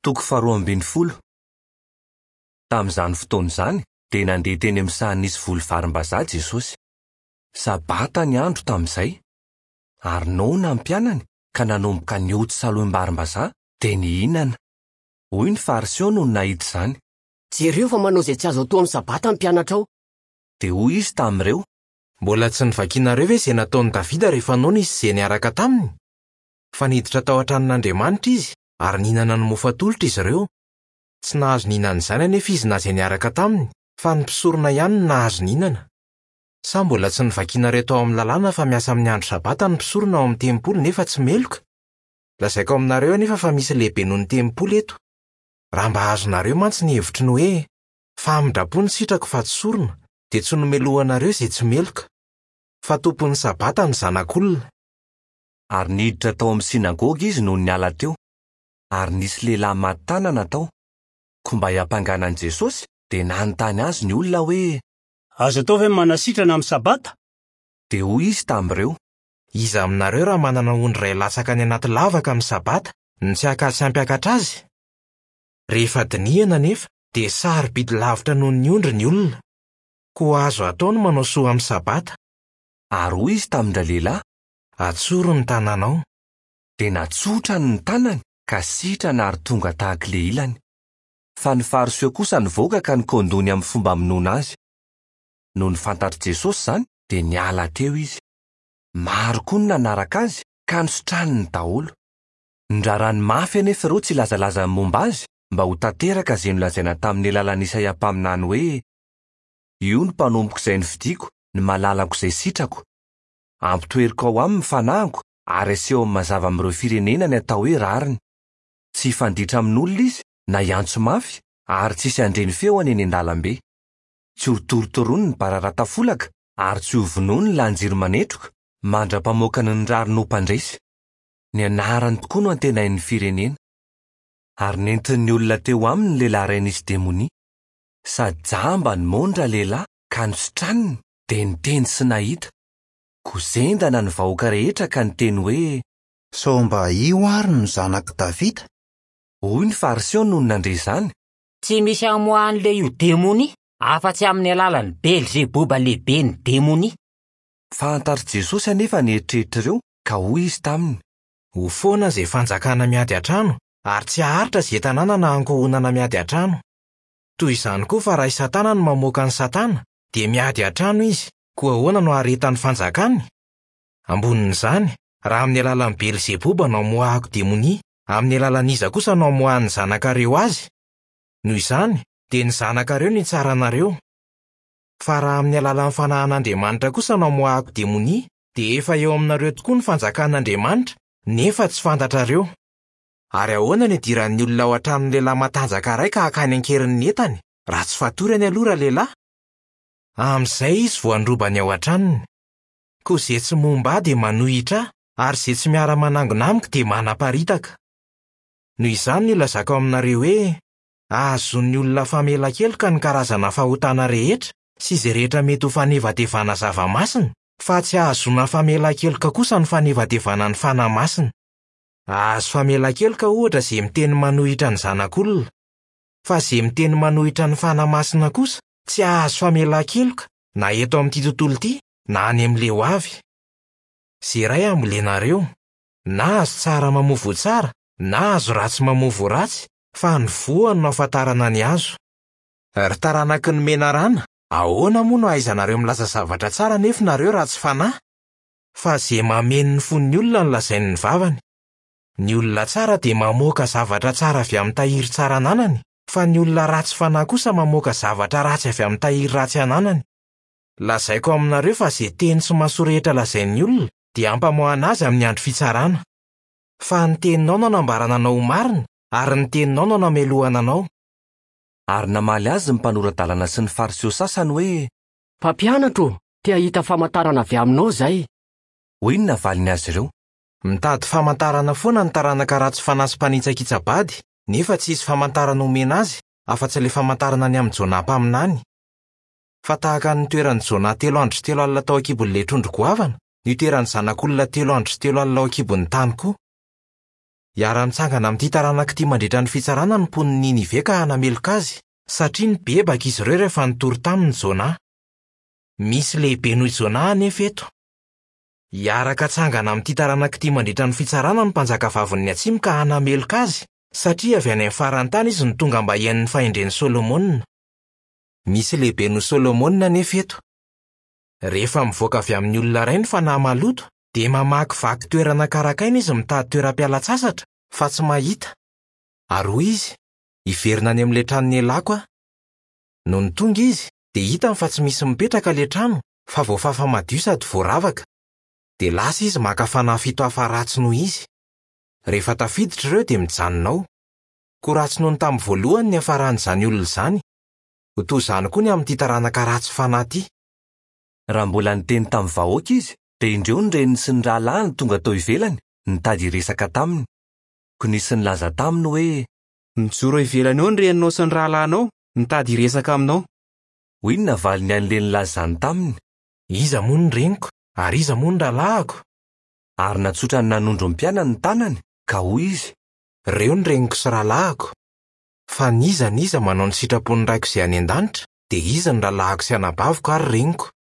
Toko faharoa ambin'ny folo. Tamin'izany fotoana izany dia nandeha teny amin'ny saha nisy voly varimbazaha Jesosy. Sabata ny andro tamin'izay. Ary noana ny mpianany ka nanomboka nioty salohim-barimbazaha dia nihinana. Hoy ny Fariseo nony nahita izany. Jereo fa manao izay tsy azo atao amin'ny Sabata ny mpianatrao. Dia hoy izy tamin'ireo. Mbola tsy novakinareo ve izay nataon'i Davida rehefa noana izy sy izay niaraka taminy? Fa niditra tao an-tranon'Andriamanitra izy ary nihinana ny mofo atolotra izy ireo. Tsy nahazo nihinana izany anefa izy na izay niaraka taminy, fa ny mpisorona ihany no nahazo nihinana. Sa mbola tsy novakinareo tao amin'ny Lalàna fa miasa amin'ny andro Sabata ny mpisorona ao amin'ny tempoly nefa tsy meloka? Lazaiko aminareo anefa fa misy lehibe noho ny tempoly eto. Raha mba azonareo mantsy ny hevitry ny hoe, 'Famindram-po no sitrako fa tsy sorona', dia tsy nomelohanareo izay tsy meloka. Fa tompon'ny Sabata ny Zanak'olona. Ary niditra tao amin'ny synagoga izy nony niala teo, ary nisy lehilahy maty tanana tao. Koa mba hiampangana an'i Jesosy, dia nanontany azy ny olona hoe. Azo atao ve ny manasitrana amin'ny Sabata? Dia hoy izy tamin'ireo. Iza aminareo raha manana ondry iray latsaka any anaty lavaka amin'ny Sabata, no tsy haka sy hampiakatra azy? Rehefa dinihana anefa, dia sarobidy lavitra noho ny ondry ny olona. Koa azo atao ny manao soa amin'ny Sabata. Ary hoy izy tamin-dralehilahy. Atsory ny tananao. Dia natsotrany ny tanany ka sitrana ary tonga tahaka ilay ilany. Fa ny Fariseo kosa nivoaka ka nikaon-doha ny amin'ny fomba hamonoana azy. Nony fantatr'i Jesosy izany, dia niala teo izy. Maro koa ny nanaraka azy, ka nositraniny daholo. Nirarany mafy anefa ireo tsy hilazalaza ny momba azy, mba ho tanteraka izay nolazaina tamin'ny alalan'i Isaia mpaminany hoe, Io no mpanompoko izay nofidiko, ny malalako izay sitrako. Ampitoeriko ao aminy ny fanahiko ary asehony mazava amin'ireo firenena ny atao hoe rariny. Tsy hifanditra amin'olona izy na hiantso mafy ary tsy hisy handre ny feony eny an-dalambe. Tsy hotorotoroiny ny bararata folaka ary tsy hovonoiny ny lahin-jiro manetroka mandra-pamoakany ny rariny ho mpandresy. Ny anarany tokoa no antenain'ny firenena. Ary nentin'ny olona teo aminy ny lehilahy iray nisy demonia. Sady jamba no moana ralehilahy ka nositraniny dia niteny sy nahita. Koa zendana ny vahoaka rehetra ka niteny hoe. Sao mba io àry no zanak'i Davida? Hoy ny Fariseo nony nandre izany. Tsy misy amoahan'ilay io demonia afa-tsy amin'ny alalan'i Belzeboba lehiben'ny demonia. Fantatr'i Jesosy anefa ny eritreritr'ireo ka hoy izy taminy. Ho foana izay fanjakana miady an-trano, ary tsy haharitra izay tanàna na ankohonana miady an-trano. Toy izany koa fa raha i Satana no mamoaka an'i Satana, dia miady an-trano izy, koa ahoana no haharetan'ny fanjakany? Ambonin'izany, raha amin'ny alalan'i Belzeboba no amoahako demonia, amin'ny alalan'iza kosa no amoahan'ny zanakareo azy? Noho izany, dia ny zanakareo no hitsara anareo. Fa raha amin'ny alalan'ny fanahin'Andriamanitra kosa no amoahako demonia, dia efa eo aminareo tokoa ny fanjakan'Andriamanitra, nefa tsy fantatrareo. Ary ahoana no idiran'ny olona ao an-tranon'ny lehilahy matanjaka iray ka hakany an-keriny ny entany, raha tsy fatorany aloha ralehilahy? Amin'izay izy vao handroba ny ao an-tranony. Koa izay tsy momba ahy dia manohitra ahy, ary izay tsy miara-manangona amiko dia manaparitaka. Noho izany no ilazako aminareo hoe, ahazoan'ny olona famelan-keloka ny karazana fahotana rehetra sy izay rehetra mety ho fanevatevana zava-masina, fa tsy ahazoana famelan-keloka kosa ny fanevatevana ny Fanahy Masina. Hahazo famelan-keloka ohatra izay miteny manohitra ny Zanak'olona. Fa izay miteny manohitra ny Fanahy Masina kosa tsy hahazo famelan-keloka na eto amin'ity tontolo ity na any amin'ilay ho avy. Izay iray ambolenareo, na hazo tsara mamoa voa tsara na hazo ratsy mamoa voa ratsy, fa ny voany no ahafantarana ny hazo. Ry taranaky ny menarana, ahoana moa no ahaizanareo milaza zavatra tsara nefa nareo ratsy fanahy? Fa izay mameno ny fon'ny olona no lazain'ny vavany. Ny olona tsara dia mamoaka zavatra tsara avy amin'ny tahiry tsara ananany, fa ny olona ratsy fanahy kosa mamoaka zavatra ratsy avy amin'ny tahiry ratsy ananany. Lazaiko aminareo fa izay teny sy maso rehetra lazain'ny olona dia hampamoahana azy amin'ny andro fitsarana. Fa ny teninao no anambarana anao ho marina, ary ny teninao no anamelohana anao. Ary namaly azy ny mpanora-dalana sy ny Fariseo sasany hoe. Mpampianatra ô, te hahita famantarana avy aminao izahay. Hoy ny navaliny azy ireo. Mitady famantarana foana ny taranaka ratsy fanahy sy mpanitsakitsa-bady, nefa tsy hisy famantarana homena azy, afa-tsy ilay famantarana ny amin'i Jonà mpaminany. Fa tahaka ny nitoeran'i Jonà telo andro sy telo alina tao an-kibon'ilay trondro goavana, no hitoeran'ny Zanak'olona telo andro sy telo alina ao an-kibon'ny tany koa. Hiara-mitsangana amin'ity taranaka ity mandritra ny fitsarana ny mponin'i Ninive ka hanameloka azy, satria nibebaka izy ireo rehefa nitory taminy Jonah. Misy lehibe noho i Jonah anefa eto. Hiaraka hatsangana amin'ity taranaka ity mandritra ny fitsarana ny mpanjakavavin'ny atsimo ka hanameloka azy, satria avy any amin'ny faran'ny tany izy no tonga mba hihaino ny fahendren'i Solomona. Misy lehibe noho Solomona anefa eto. Rehefa mivoaka avy amin'ny olona iray ny fanahy maloto, dia mamakivaky toerana karakaina izy mitady toeram-pialan-tsasatra, fa tsy mahita. Ary hoy izy, Hiverina any amin'ilay trano nialako aho. Nony tonga izy, dia hitany fa tsy misy mipetraka ilay trano, fa voafafa madio sady voaravaka. Dia lasa izy maka fanahy fito hafa ratsy noho izy. Rehefa tafiditra ireo dia mijanona ao. Koa ratsy noho ny tamin'ny voalohany ny niafaran'izany olona izany. Ho toy izany koa ny amin'ity taranaka ratsy fanahy ity. Raha mbola niteny tamin'ny vahoaka izy, dia indreo ny reniny sy ny rahalahiny tonga tao ivelany, nitady hiresaka taminy. Koa nisy nilaza taminy hoe. Mijoro eo ivelany eo ny reninao sy ny rahalahinao, mitady hiresaka aminao. Hoy ny navaliny an'ilay nilaza izany taminy. Iza moa ny reniko, ary iza moa ny rahalahiko? Ary natsotrany nanondro ny mpianany ny tanany, ka hoy izy. Ireo ny reniko sy rahalahiko. Fa n'iza n'iza manao ny sitrapon'ny Raiko izay any an-danitra, dia izy no rahalahiko sy anabaviko ary reniko.